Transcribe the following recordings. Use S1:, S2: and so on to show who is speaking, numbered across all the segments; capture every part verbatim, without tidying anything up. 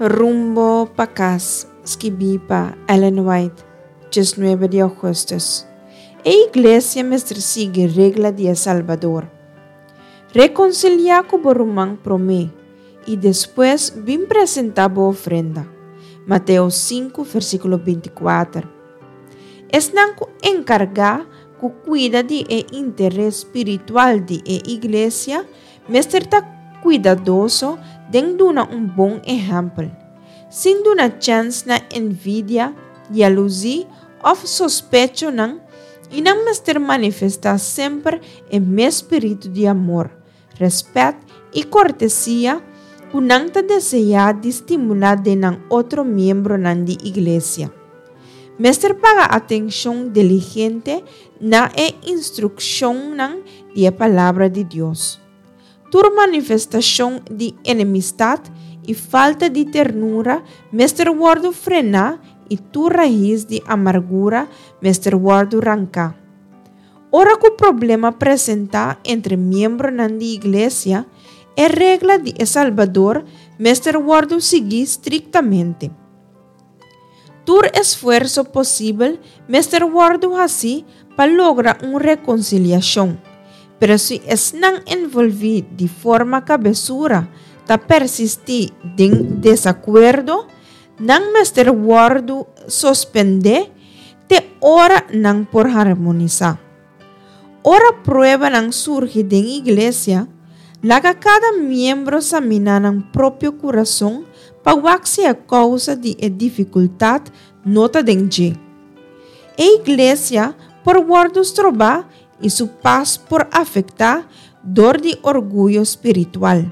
S1: Rumbo pa Kas, skibí pa Ellen White, diesnuebe di ougùstùs. E iglesia mester sigui regla di e Salbador. Rekonsiliá ku bo ruman promé, i despues bin presentá bo ofrenda. Mateo sinku, versíkulo binti kuater. Esnan ku enkargá ku kuida di e interes spiritual di e iglesia mester ta kuidadoso den duna un bon ehèmpel, sin duna chèns na envidia, yalusí òf sospechonan, i nan mester manifestá semper e mes spiritu di amor, rèspèt i kortesia ku nan ta deseá di stimulá den nan otro miembronan di iglesia. Mester paga atenshon diligente na e instrukshonnan di e Palabra di Dios. Tur manifestashon di enemistat i falta di ternura mester wòrdu frená i tur rais di amargura mester wòrdu ranká. Ora ku problema presentá entre miembronan di iglesia, e regla di e Salbador mester wòrdu sigui striktamente. Tur esfuerso posibel mester wòrdu hasí pa logra un rekonsiliashon, pero si esnan envolví di forma kabesura ta persistí den desakuerdo, nan mester wòrdu suspendé te ora nan por harmonisá. Ora pruebanan surgi den iglesia, laga kada miembro saminá nan propio kurason pa wak si e kousa di e difikultat no ta den dje. E iglesia por wòrdu strobá i su pas por afektá dor di orguyo spiritual,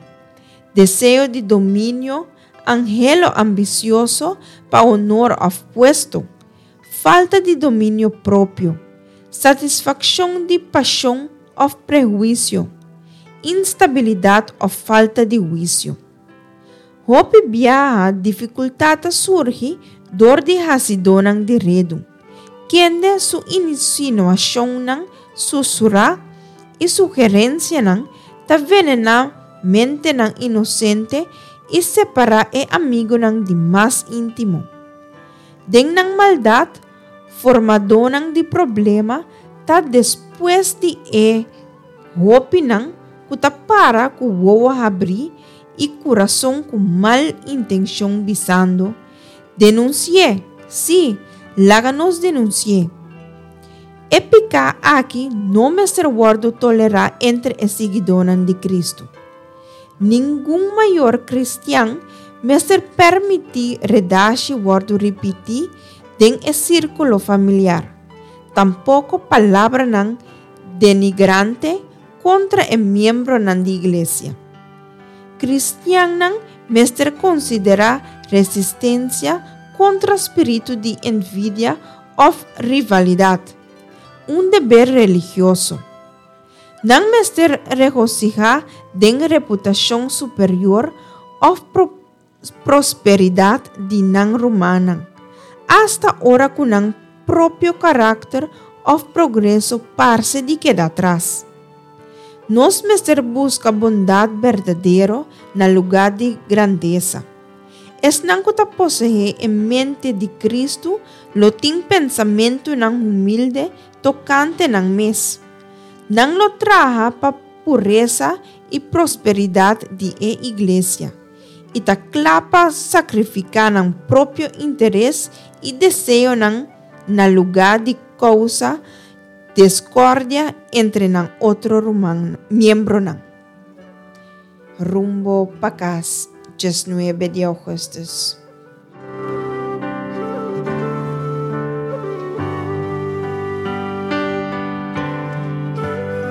S1: deseo di dominio, anhelo ambisioso pa honor òf puesto, falta di dominio propio, satisfakshon di pashon òf prehuisio, instabilidat òf falta di huisio. Hopi biaha difikultat ta surgi dor di hasidónan di redu, kende su insinuashonnan susurá i sugerensianan ta venená mentenan inosente i separá e amigunan di mas íntimo. Den nan maldat, formadónan di problema ta despues di e hopinan ku ta para ku wowo habrí i kurason ku mal intenshon bisando, Denunsi'é! Sí, laga nos denunsi'é! E piká aki no mester wòrdu tolerá entre e siguidónan di Kristu. Ningun mayor kristian mester permití redashi wòrdu ripití den e sírkulo familiar, tampoko palabranan denigrante kontra e miembronan di iglesia. Kristiannan mester konsiderá resistensia kontra spiritu di envidia òf rivalidat, un deber religioso. Nan mester regosihá den reputashon superior òf prosperidat di nan rumannan, asta ora ku nan propio karakter òf progreso parse di keda atras. Nos mester buska bondat berdadero na lugá di grandesa. Esnan ku ta poseé e mente di Kristu lo tin pensamentunan humilde tokante nan mes. Nan lo traha pa puresa i prosperidat di e iglesia, i ta kla pa sakrifiká nan propio interes i deseonan na lugá di kousa diskordia entre nan otro ruman miembronan. Rumbo pa Kas, diesnuebe di ougùstùs.